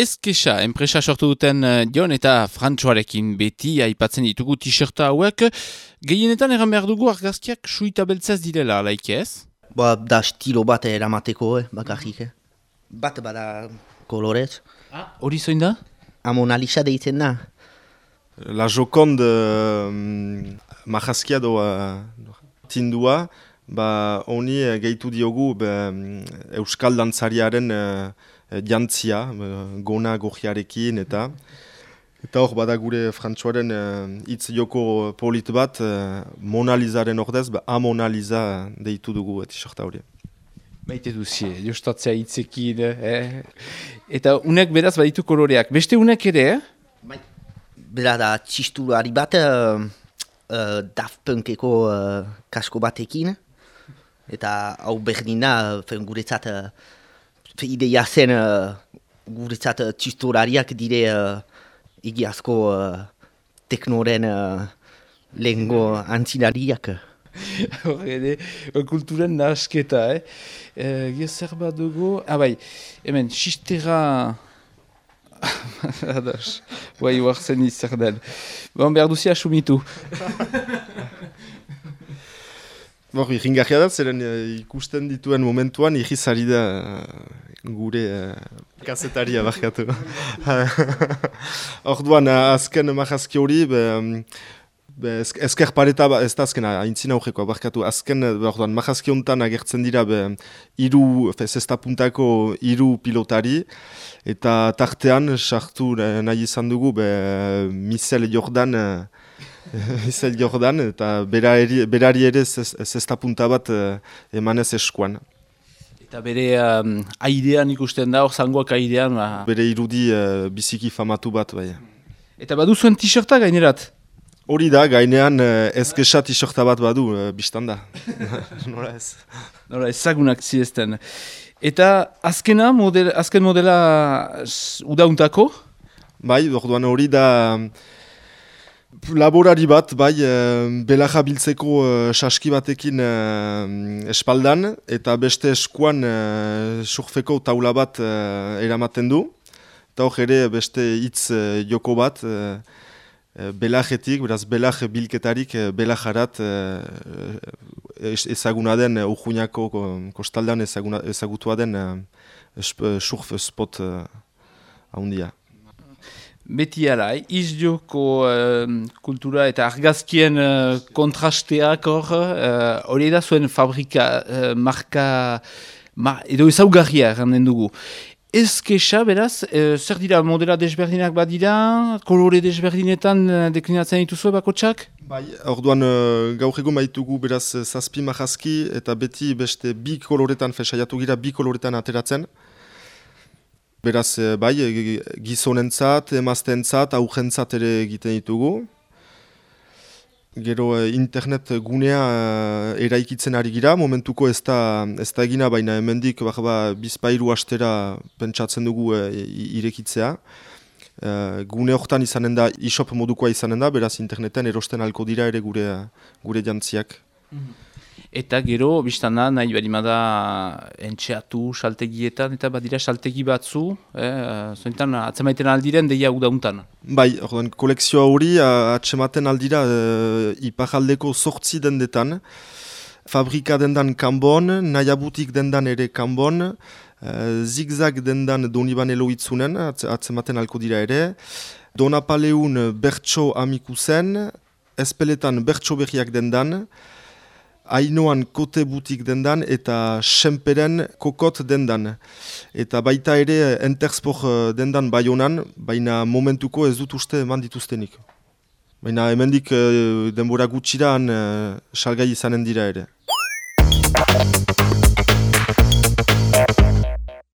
Ezkesa, enpresa sortu duten Jon eta Frantxoarekin beti aipatzen ditugu t-shirta hauek. Gehienetan egan behar dugu argazkiak suita beltzaz direla, alaik ez? Da stilo bat eramateko, bakarrik. Bat bada kolorez. Hori zoin da? Mona Lisa deitzen da. La Joconde marrazkia tindua, honi gehitu diogu Euskal Dantzariaren jantzia, gona gojiarekin eta hor bada gure Frantxoaren hitz joko polit bat, Mona Lisaren ordez, Mona Lisa deitu dugu t-shirta hori. Baite duzie, jostatzea hitzekin, Eta unek beraz baditu koloreak. Beste unek ere, Bera da txistulari bat Daft Punkeko kasko batekin. Eta hau berdina, guretzat ideia zen guretzat txistulariak dire egiazko teknoren lehengo antzinariak. Horre, kulturen nahasketa, Gezer bat dugu, hemen, xistera... Adas, guai huartzen izer den. Behar duzia asumitu. Irringarria da, zeren ikusten dituen momentuan irrizari da gure kazetaria barkatu. Orduan, azken marrazki hori, ezker pareta, ez da azkena, aintzina horrekoa barkatu, azken marrazki honetan agertzen dira zestapuntako hiru pilotari, eta tartean sartu nahi izan dugu Michel Jordan, eta berari ere zestapunta bat emanez eskuan. Eta bere airean ikusten da, hor zangoak airean. Bere irudi biziki famatu bat, bai. Eta badu zuen t-shirta gainerat? Hori da, gainean ezkesa t-shirta bat badu, biztan da. Nora ez. Nora ezagunak ziezten. Eta azken modela udauntako? Bai, orduan hori da laborari bat, bai, belaja biltzeko saski batekin espaldan, eta beste eskuan surfeko taula bat eramaten du. Eta hor ere beste hitz joko bat, belajetik, beraz belaj bilketarik belajarat ezaguna den Urjuñako kostaldean ezagutua den surf spot handia. Beti ala, izjoko kultura eta argazkien kontrasteak hori da zuen fabrika, marka, edo ezaugarria erranden dugu. Ezkesa, beraz, zer dira modela desberdinak badira, kolore desberdinetan deklinatzen dituzue bakotsak? Bai, orduan gaur egun baitugu beraz zazpi marrazki eta beti beste bi koloretan saiatu gira bi koloretan ateratzen. Beraz, bai, gizonentzat, emaztentzat, aurrentzat ere egiten ditugu. Gero internet gunea eraikitzen ari gira, momentuko ez da egina, baina hemendik bizpairu astera pentsatzen dugu irekitzea. Gune horretan izanen da, e-shop modukoa izanen da, beraz interneten erosten alko dira ere gure jantziak. Eta gero, biztana, nahi barimada entxeatu saltegietan, eta badira saltegi batzu, zointan atzemaiten aldiren deia udauntan. Bai, orduan, kolekzioa hori atzematen aldira iparaldeko 8 dendetan, fabrika dendan Kanbon, nahiabutik dendan ere Kanbon, zigzag dendan Donibane Loitzunen, atzematen alko dira ere, Donapaleun Bertso Amikusen, Espeletan Bertso Berriak dendan, Ainoan Kote Butik dendan eta Senperen Kokot dendan. Eta baita ere Entersport dendan Baionan, baina momentuko ez dut uste eman dituztenik. Baina hemendik denbora gutxiran salgai izanen dira ere.